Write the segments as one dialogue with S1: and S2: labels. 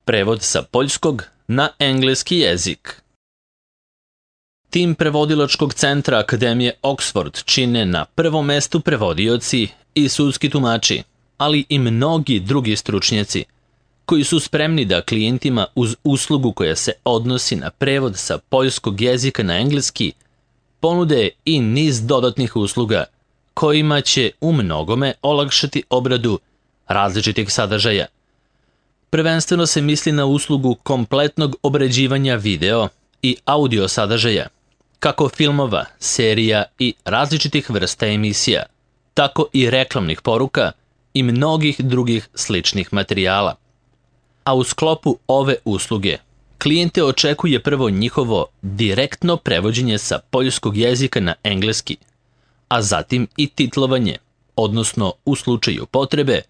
S1: Prevod sa poljskog na engleski jezik. Tim prevodilačkog centra Akademije Oxford čine na prvom mestu prevodioci i sudski tumači, ali i mnogi drugi stručnjaci, koji su spremni da klijentima uz uslugu koja se odnosi na prevod sa poljskog jezika na engleski ponude i niz dodatnih usluga kojima će u mnogome olakšati obradu različitih sadržaja. Prvenstveno se misli na uslugu kompletnog obrađivanja video i audio sadržaja, kako filmova, serija i različitih vrsta emisija, tako i reklamnih poruka i mnogih drugih sličnih materijala. A u sklopu ove usluge klijente očekuje prvo njihovo direktno prevođenje sa poljskog jezika na engleski, a zatim i titlovanje, odnosno u slučaju potrebe,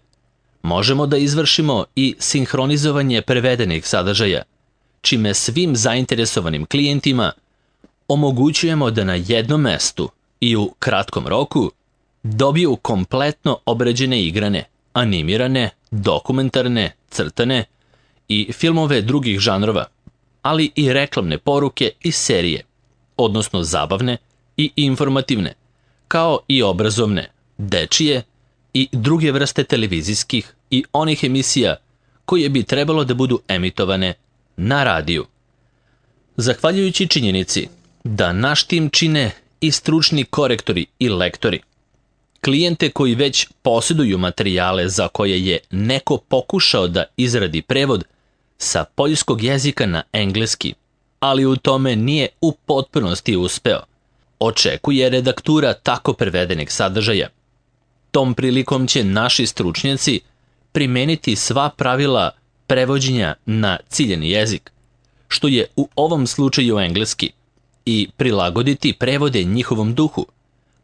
S1: možemo da izvršimo i sinhronizovanje prevedenih sadržaja, čime svim zainteresovanim klijentima omogućujemo da na jednom mestu i u kratkom roku dobiju kompletno obrađene igrane, animirane, dokumentarne, crtane i filmove drugih žanrova, ali i reklamne poruke i serije, odnosno zabavne i informativne, kao i obrazovne, dečije i druge vrste televizijskih i onih emisija koje bi trebalo da budu emitovane na radiju. Zahvaljujući činjenici da naš tim čine i stručni korektori i lektori, klijente koji već posjeduju materijale za koje je neko pokušao da izradi prevod sa poljskog jezika na engleski, ali u tome nije u potpunosti uspeo, očekuje redaktura tako prevedenih sadržaja. Tom prilikom će naši stručnjaci primeniti sva pravila prevođenja na ciljeni jezik, što je u ovom slučaju engleski, i prilagoditi prevode njihovom duhu,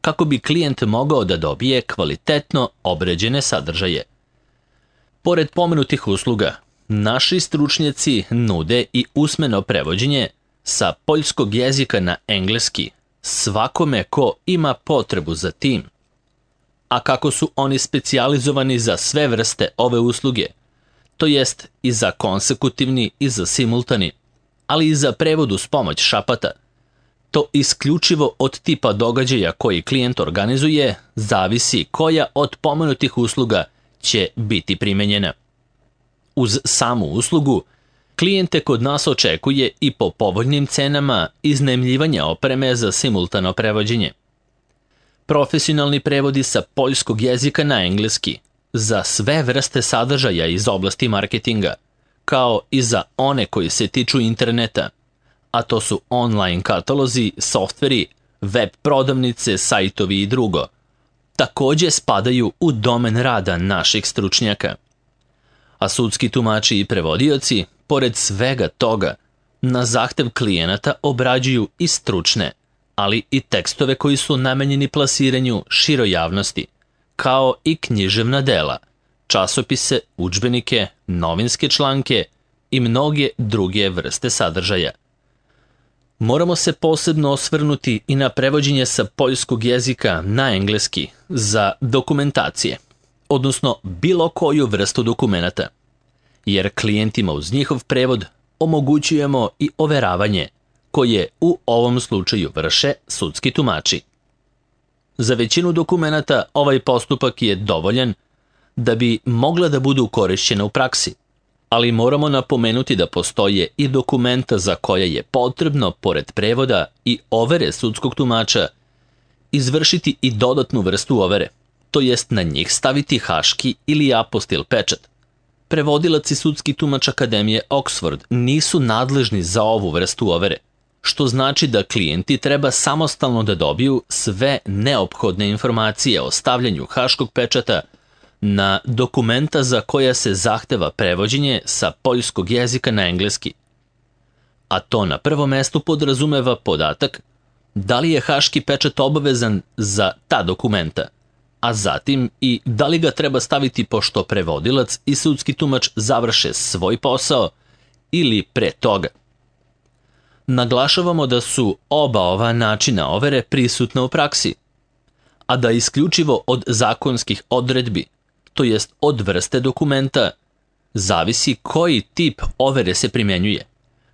S1: kako bi klijent mogao da dobije kvalitetno obrađene sadržaje. Pored pomenutih usluga, naši stručnjaci nude i usmeno prevođenje sa poljskog jezika na engleski svakome ko ima potrebu za tim. A kako su oni specijalizovani za sve vrste ove usluge, to jest i za konsekutivni i za simultani, ali i za prevod uz pomoć šapata, to isključivo od tipa događaja koji klijent organizuje zavisi koja od pomenutih usluga će biti primenjena. Uz samu uslugu, klijente kod nas očekuje i po povoljnim cenama iznajmljivanje opreme za simultano prevođenje. Profesionalni prevodi sa poljskog jezika na engleski za sve vrste sadržaja iz oblasti marketinga, kao i za one koji se tiču interneta, a to su online katalozi, softveri, web prodavnice, sajtovi i drugo, takođe spadaju u domen rada naših stručnjaka. A sudski tumači i prevodioci, pored svega toga, na zahtev klijenata obrađuju i stručne, ali i tekstove koji su namenjeni plasiranju široj javnosti, kao i književna dela, časopise, udžbenike, novinske članke i mnoge druge vrste sadržaja. Moramo se posebno osvrnuti i na prevođenje sa poljskog jezika na engleski za dokumentacije, odnosno bilo koju vrstu dokumenata, jer klijentima uz njihov prevod omogućujemo i overavanje, koje u ovom slučaju vrše sudski tumači. Za većinu dokumenata ovaj postupak je dovoljan da bi mogla da budu korišćena u praksi, ali moramo napomenuti da postoje i dokumenta za koje je potrebno, pored prevoda i overe sudskog tumača, izvršiti i dodatnu vrstu overe, to jest na njih staviti haški ili apostil pečat. Prevodilac i sudski tumač Akademije Oxford nisu nadležni za ovu vrstu overe, što znači da klijenti treba samostalno da dobiju sve neophodne informacije o stavljanju haškog pečata na dokumenta za koja se zahteva prevođenje sa poljskog jezika na engleski. A to na prvom mestu podrazumeva podatak da li je haški pečat obavezan za ta dokumenta, a zatim i da li ga treba staviti pošto prevodilac i sudski tumač završe svoj posao ili pre toga. Naglašavamo da su oba ova načina overe prisutna u praksi, a da isključivo od zakonskih odredbi, to jest od vrste dokumenta, Zavisi koji tip overe se primjenjuje,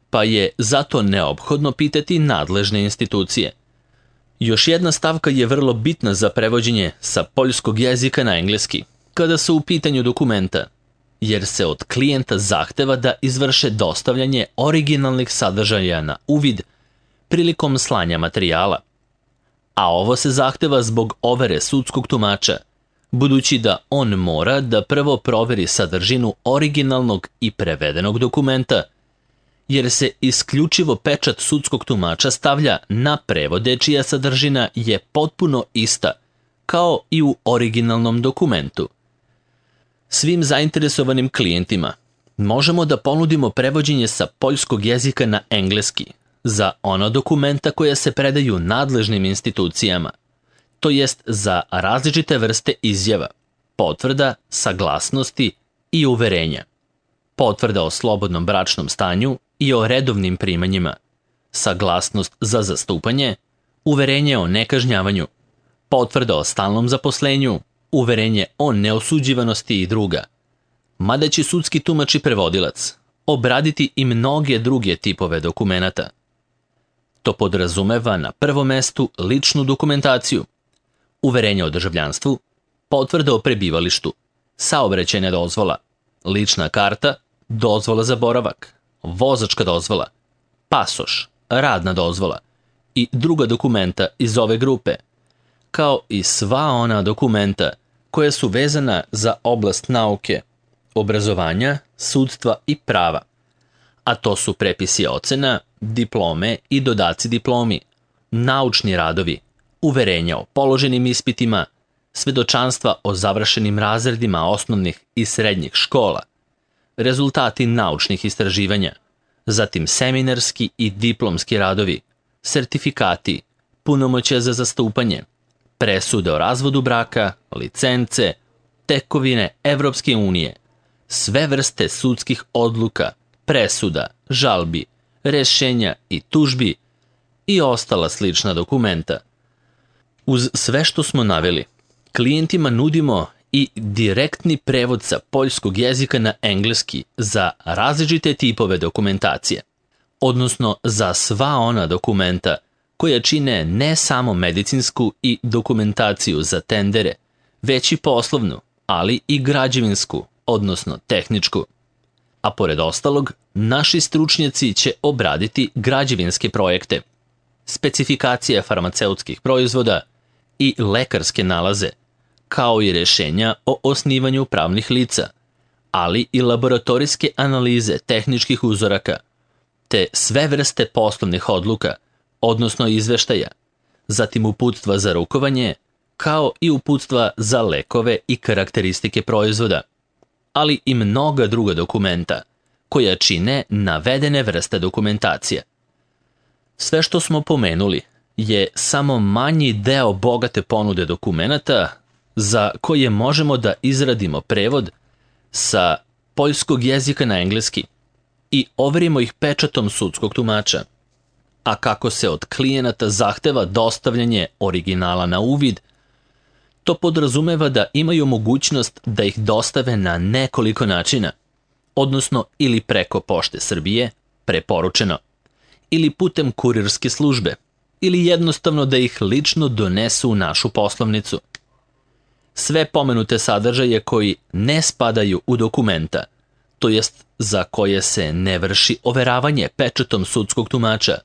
S1: pa je zato neophodno pitati nadležne institucije. Još jedna stavka je vrlo bitna za prevođenje sa poljskog jezika na engleski, kada su u pitanju dokumenta, jer se od klijenta zahteva da izvrše dostavljanje originalnih sadržaja na uvid prilikom slanja materijala. A ovo se zahteva zbog overe sudskog tumača, budući da on mora da prvo proveri sadržinu originalnog i prevedenog dokumenta, jer se isključivo pečat sudskog tumača stavlja na prevode čija sadržina je potpuno ista, kao i u originalnom dokumentu. Svim zainteresovanim klijentima možemo da ponudimo prevođenje sa poljskog jezika na engleski za ona dokumenta koja se predaju nadležnim institucijama, to jest za različite vrste izjava, potvrda, saglasnosti i uverenja, potvrda o slobodnom bračnom stanju i o redovnim primanjima, saglasnost za zastupanje, uverenje o nekažnjavanju, potvrda o stalnom zaposlenju, uverenje o neosuđivanosti i druga. Mada će sudski tumač i prevodilac obraditi i mnoge druge tipove dokumenata. To podrazumeva na prvom mestu ličnu dokumentaciju, uverenje o državljanstvu, potvrda o prebivalištu, saobraćajna dozvola, lična karta, dozvola za boravak, vozačka dozvola, pasoš, radna dozvola i druga dokumenta iz ove grupe, kao i sva ona dokumenta koja su vezana za oblast nauke, obrazovanja, sudstva i prava, a to su prepisi ocena, diplome i dodaci diplomi, naučni radovi, uverenja o položenim ispitima, svedočanstva o završenim razredima osnovnih i srednjih škola, rezultati naučnih istraživanja, zatim seminarski i diplomski radovi, sertifikati, punomoćja za zastupanje, presude o razvodu braka, licence, tekovine Evropske unije, sve vrste sudskih odluka, presuda, žalbi, rešenja i tužbi i ostala slična dokumenta. Uz sve što smo naveli, klijentima nudimo i direktni prevod sa poljskog jezika na engleski za različite tipove dokumentacije, odnosno za sva ona dokumenta koja čine ne samo medicinsku i dokumentaciju za tendere, već i poslovnu, ali i građevinsku, odnosno tehničku. A pored ostalog, naši stručnjaci će obraditi građevinske projekte, specifikacije farmaceutskih proizvoda i lekarske nalaze, kao i rešenja o osnivanju pravnih lica, ali i laboratorijske analize tehničkih uzoraka, te sve vrste poslovnih odluka, odnosno izveštaja, zatim uputstva za rukovanje, kao i uputstva za lekove i karakteristike proizvoda, ali i mnoga druga dokumenta, koja čine navedene vrste dokumentacije. Sve što smo pomenuli je samo manji deo bogate ponude dokumenata za koje možemo da izradimo prevod sa poljskog jezika na engleski i overimo ih pečatom sudskog tumača. A kako se od klijenata zahteva dostavljanje originala na uvid, to podrazumeva da imaju mogućnost da ih dostave na nekoliko načina, odnosno ili preko Pošte Srbije, preporučeno, ili putem kurirske službe, ili jednostavno da ih lično donesu u našu poslovnicu. Sve pomenute sadržaje koji ne spadaju u dokumenta, to jest za koje se ne vrši overavanje pečatom sudskog tumača,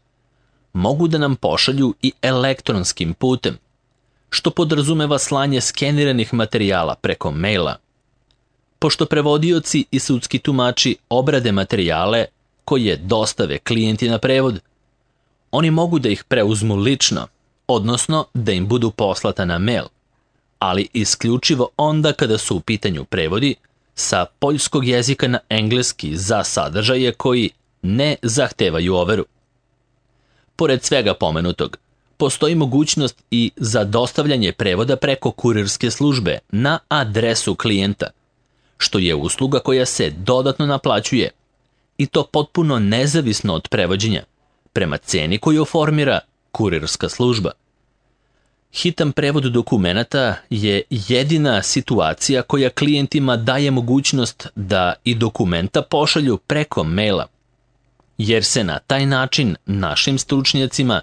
S1: mogu da nam pošalju i elektronskim putem, što podrazumeva slanje skeniranih materijala preko maila. Pošto prevodioci i sudski tumači obrade materijale koje dostave klijenti na prevod, oni mogu da ih preuzmu lično, odnosno da im budu poslata na mail, ali isključivo onda kada su u pitanju prevodi sa poljskog jezika na engleski za sadržaje koji ne zahtevaju overu. Pored svega pomenutog, postoji mogućnost i za dostavljanje prevoda preko kurirske službe na adresu klijenta, što je usluga koja se dodatno naplaćuje, i to potpuno nezavisno od prevođenja, prema ceni koju formira kurirska služba. Hitan prevod dokumenata je jedina situacija koja klijentima daje mogućnost da i dokumenta pošalju preko maila, jer se na taj način našim stručnjacima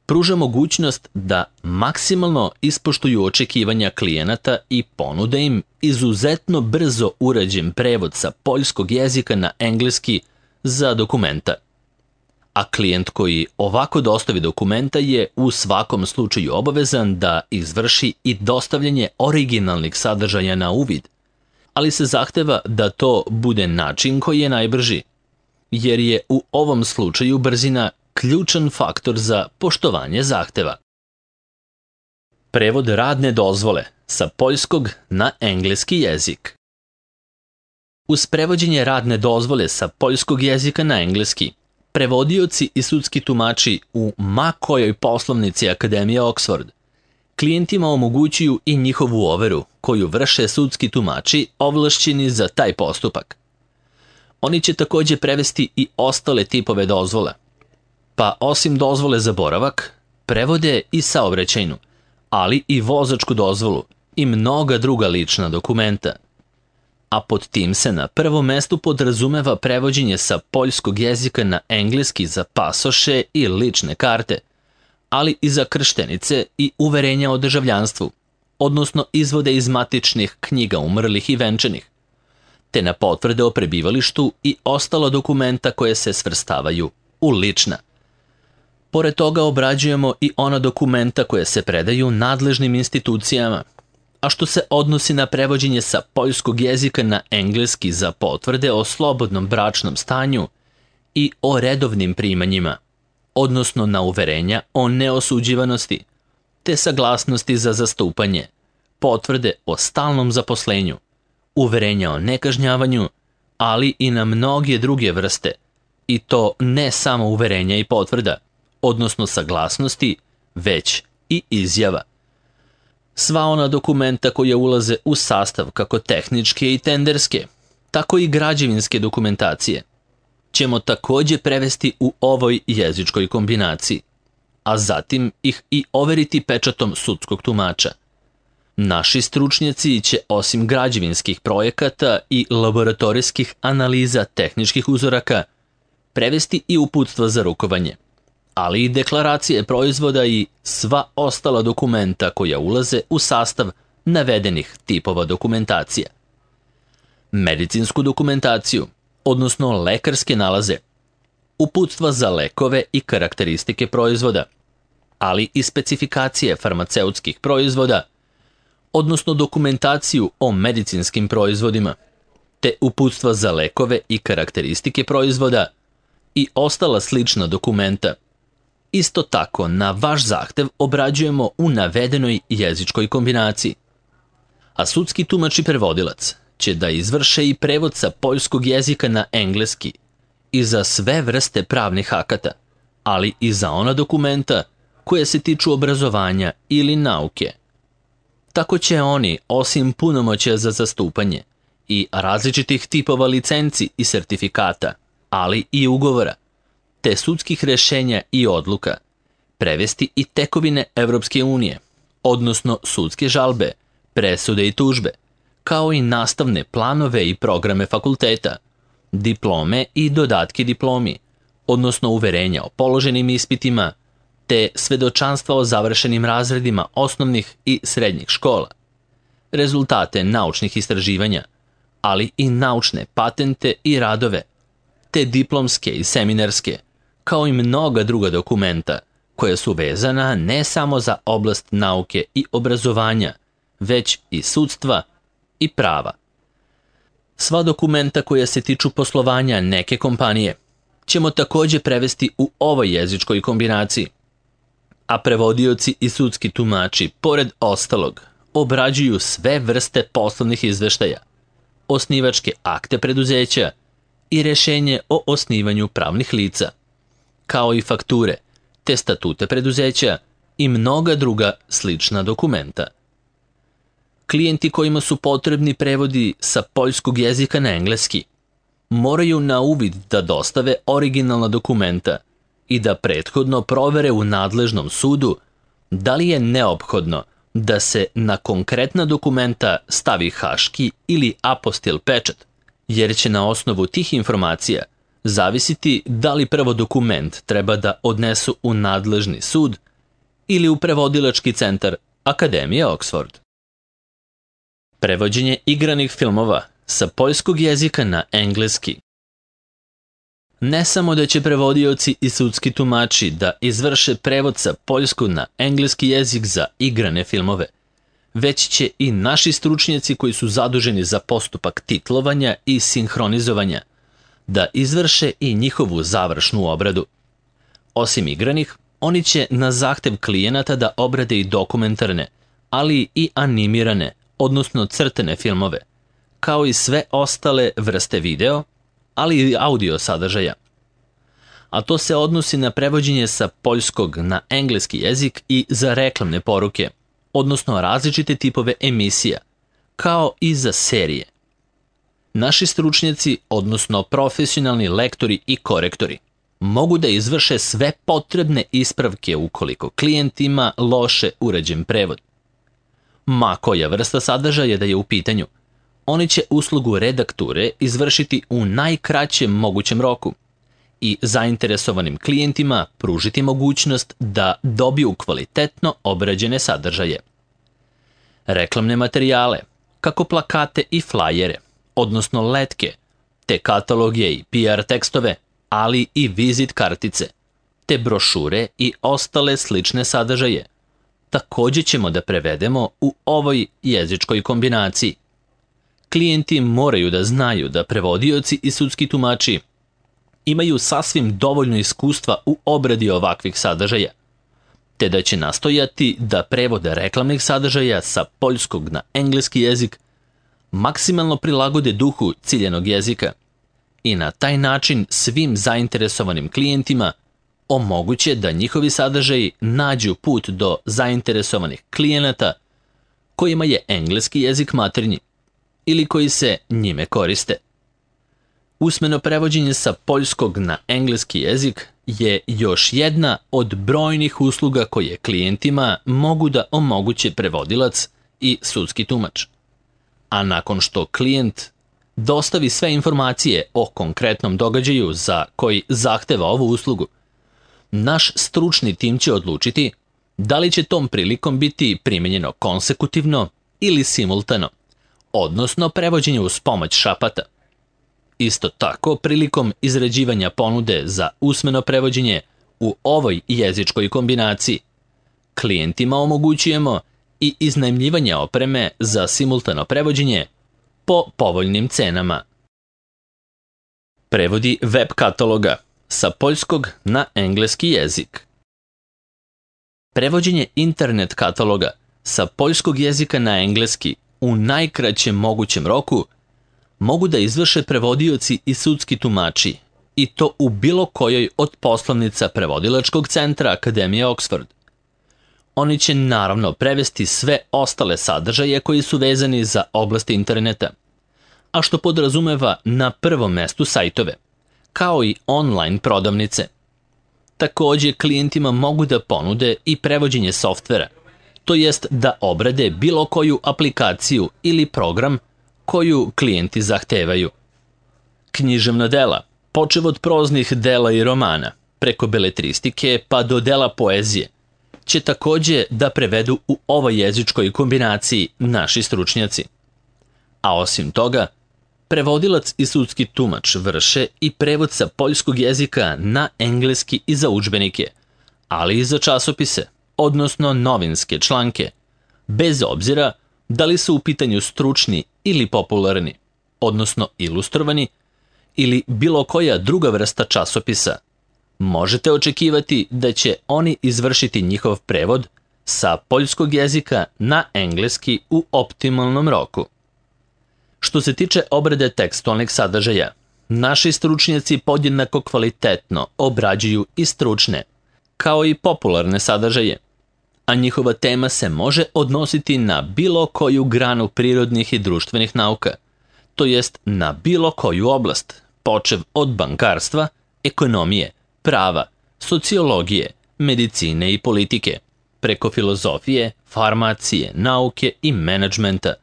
S1: pruža mogućnost da maksimalno ispoštuju očekivanja klijenata i ponude im izuzetno brzo urađen prevod sa poljskog jezika na engleski za dokumenta. A klijent koji ovako dostavi dokumenta je u svakom slučaju obavezan da izvrši i dostavljanje originalnih sadržaja na uvid, ali se zahteva da to bude način koji je najbrži, jer je u ovom slučaju brzina ključan faktor za poštovanje zahteva. Prevod radne dozvole sa poljskog na engleski jezik. Uz prevođenje radne dozvole sa poljskog jezika na engleski, prevodioci i sudski tumači u ma kojoj poslovnici Akademije Oxford klijentima omogućuju i njihovu overu koju vrše sudski tumači ovlašćeni za taj postupak. Oni će također prevesti i ostale tipove dozvola, pa osim dozvole za boravak, prevode i saobraćajnu, ali i vozačku dozvolu i mnoga druga lična dokumenta. A pod tim se na prvom mestu podrazumeva prevođenje sa poljskog jezika na engleski za pasoše i lične karte, ali i za krštenice i uverenja o državljanstvu, odnosno izvode iz matičnih knjiga umrlih i venčanih, te na potvrde o prebivalištu i ostala dokumenta koje se svrstavaju u lična. Pored toga obrađujemo i ona dokumenta koje se predaju nadležnim institucijama, a što se odnosi na prevođenje sa poljskog jezika na engleski za potvrde o slobodnom bračnom stanju i o redovnim primanjima, odnosno na uverenja o neosuđivanosti, te saglasnosti za zastupanje, potvrde o stalnom zaposlenju, uverenja o nekažnjavanju, ali i na mnoge druge vrste, i to ne samo uverenja i potvrda, odnosno saglasnosti, već i izjava. Sva ona dokumenta koja ulaze u sastav kako tehničke i tenderske, tako i građevinske dokumentacije, ćemo također prevesti u ovoj jezičkoj kombinaciji, a zatim ih i overiti pečatom sudskog tumača. Naši stručnjaci će osim građevinskih projekata i laboratorijskih analiza tehničkih uzoraka prevesti i uputstva za rukovanje, ali i deklaracije proizvoda i sva ostala dokumenta koja ulaze u sastav navedenih tipova dokumentacija. Medicinsku dokumentaciju, odnosno lekarske nalaze, uputstva za lekove i karakteristike proizvoda, ali i specifikacije farmaceutskih proizvoda, odnosno dokumentaciju o medicinskim proizvodima, te uputstva za lekove i karakteristike proizvoda i ostala slična dokumenta. Isto tako, na vaš zahtev obrađujemo u navedenoj jezičkoj kombinaciji. A sudski tumač i prevodilac će da izvrše i prevod sa poljskog jezika na engleski i za sve vrste pravnih akata, ali i za ona dokumenta koje se tiču obrazovanja ili nauke. Tako će oni, osim punomoćja za zastupanje i različitih tipova licenci i sertifikata, ali i ugovora, te sudskih rješenja i odluka, prevesti i tekovine Evropske unije, odnosno sudske žalbe, presude i tužbe, kao i nastavne planove i programe fakulteta, diplome i dodatke diplomi, odnosno uverenja o položenim ispitima, te svedočanstva o završenim razredima osnovnih i srednjih škola, rezultate naučnih istraživanja, ali i naučne patente i radove, te diplomske i seminarske, kao i mnoga druga dokumenta koja su vezana ne samo za oblast nauke i obrazovanja, već i sudstva i prava. Sva dokumenta koja se tiču poslovanja neke kompanije ćemo također prevesti u ovoj jezičkoj kombinaciji, a prevodioci i sudski tumači, pored ostalog, obrađuju sve vrste poslovnih izveštaja, osnivačke akte preduzeća i rješenje o osnivanju pravnih lica, kao i fakture, te statute preduzeća i mnoga druga slična dokumenta. Klijenti kojima su potrebni prevodi sa poljskog jezika na engleski moraju na uvid da dostave originalna dokumenta i da prethodno provere u nadležnom sudu da li je neophodno da se na konkretna dokumenta stavi haški ili apostil pečat, jer će na osnovu tih informacija zavisiti da li prvo dokument treba da odnesu u nadležni sud ili u prevodilački centar Akademije Oxford. Prevođenje igranih filmova sa poljskog jezika na engleski. Ne samo da će prevodioci i sudski tumači da izvrše prevod sa poljskog na engleski jezik za igrane filmove, već će i naši stručnjaci koji su zaduženi za postupak titlovanja i sinhronizovanja da izvrše i njihovu završnu obradu. Osim igranih, oni će na zahtev klijenata da obrade i dokumentarne, ali i animirane, odnosno crtene filmove, kao i sve ostale vrste video, ali i audio sadržaja. A to se odnosi na prevođenje sa poljskog na engleski jezik i za reklamne poruke, odnosno različite tipove emisija, kao i za serije. Naši stručnjaci, odnosno profesionalni lektori i korektori, mogu da izvrše sve potrebne ispravke ukoliko klijent ima loše urađen prevod. Ma koja vrsta sadržaja da je u pitanju, oni će uslugu redakture izvršiti u najkraćem mogućem roku i zainteresovanim klijentima pružiti mogućnost da dobiju kvalitetno obrađene sadržaje. Reklamne materijale, kako plakate i flajere, odnosno letke, te kataloge i PR tekstove, ali i vizit kartice, te brošure i ostale slične sadržaje, također ćemo da prevedemo u ovoj jezičkoj kombinaciji. Klijenti moraju da znaju da prevodioci i sudski tumači imaju sasvim dovoljno iskustva u obradi ovakvih sadržaja, te da će nastojati da prevode reklamnih sadržaja sa poljskog na engleski jezik maksimalno prilagode duhu ciljenog jezika i na taj način svim zainteresovanim klijentima omoguće da njihovi sadržaji nađu put do zainteresovanih klijenata kojima je engleski jezik maternji ili koji se njime koriste. Usmeno prevođenje sa poljskog na engleski jezik je još jedna od brojnih usluga koje klijentima mogu da omoguće prevodilac i sudski tumač. A nakon što klijent dostavi sve informacije o konkretnom događaju za koji zahteva ovu uslugu, naš stručni tim će odlučiti da li će tom prilikom biti primenjeno konsekutivno ili simultano, odnosno prevođenje uz pomoć šapata. Isto tako, prilikom izrađivanja ponude za usmeno prevođenje u ovoj jezičkoj kombinaciji, klijentima omogućujemo i iznajmljivanje opreme za simultano prevođenje po povoljnim cenama. Prevodi web kataloga sa poljskog na engleski jezik. Prevođenje internet kataloga sa poljskog jezika na engleski u najkraćem mogućem roku mogu da izvrše prevodioci i sudski tumači, i to u bilo kojoj od poslovnica prevodilačkog centra Akademije Oxford. Oni će naravno prevesti sve ostale sadržaje koji su vezani za oblast interneta, a što podrazumeva na prvom mestu sajtove, kao i online prodavnice. Također klijentima mogu da ponude i prevođenje softvera, to jest da obrade bilo koju aplikaciju ili program koju klijenti zahtevaju. Književna dela, počev od proznih dela i romana, preko beletristike pa do dela poezije, će također da prevedu u ovoj jezičkoj kombinaciji naši stručnjaci. A osim toga, prevodilac i sudski tumač vrše i prevod sa poljskog jezika na engleski i za udžbenike, ali i za časopise, odnosno novinske članke, bez obzira da li su u pitanju stručni ili popularni, odnosno ilustrovani, ili bilo koja druga vrsta časopisa. Možete očekivati da će oni izvršiti njihov prevod sa poljskog jezika na engleski u optimalnom roku. Što se tiče obrade tekstualnih sadržaja, naši stručnjaci podjednako kvalitetno obrađuju i stručne, kao i popularne sadržaje, a njihova tema se može odnositi na bilo koju granu prirodnih i društvenih nauka, to jest na bilo koju oblast, počev od bankarstva, ekonomije, prava, sociologije, medicine i politike, preko filozofije, farmacije, nauke i menadžmenta,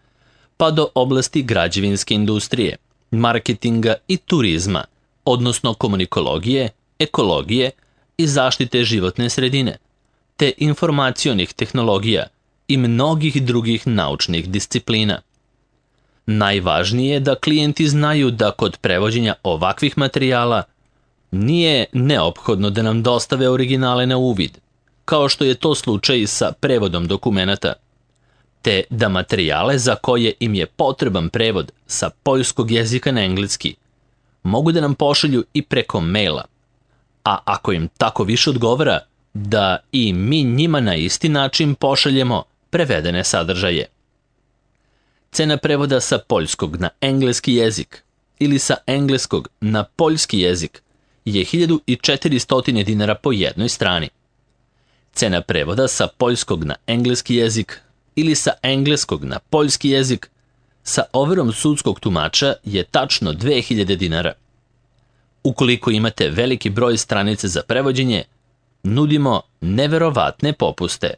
S1: pa do oblasti građevinske industrije, marketinga i turizma, odnosno komunikologije, ekologije i zaštite životne sredine, te informacionih tehnologija i mnogih drugih naučnih disciplina. Najvažnije je da klijenti znaju da kod prevođenja ovakvih materijala nije neophodno da nam dostave originale na uvid, kao što je to slučaj sa prevodom dokumenata, te da materijale za koje im je potreban prevod sa poljskog jezika na engleski mogu da nam pošalju i preko maila, a ako im tako više odgovara, da i mi njima na isti način pošaljemo prevedene sadržaje. Cena prevoda sa poljskog na engleski jezik ili sa engleskog na poljski jezik je 1400 dinara po jednoj strani. Cena prevoda sa poljskog na engleski jezik ili sa engleskog na poljski jezik sa overom sudskog tumača je tačno 2000 dinara. Ukoliko imate veliki broj stranice za prevođenje, nudimo neverovatne popuste.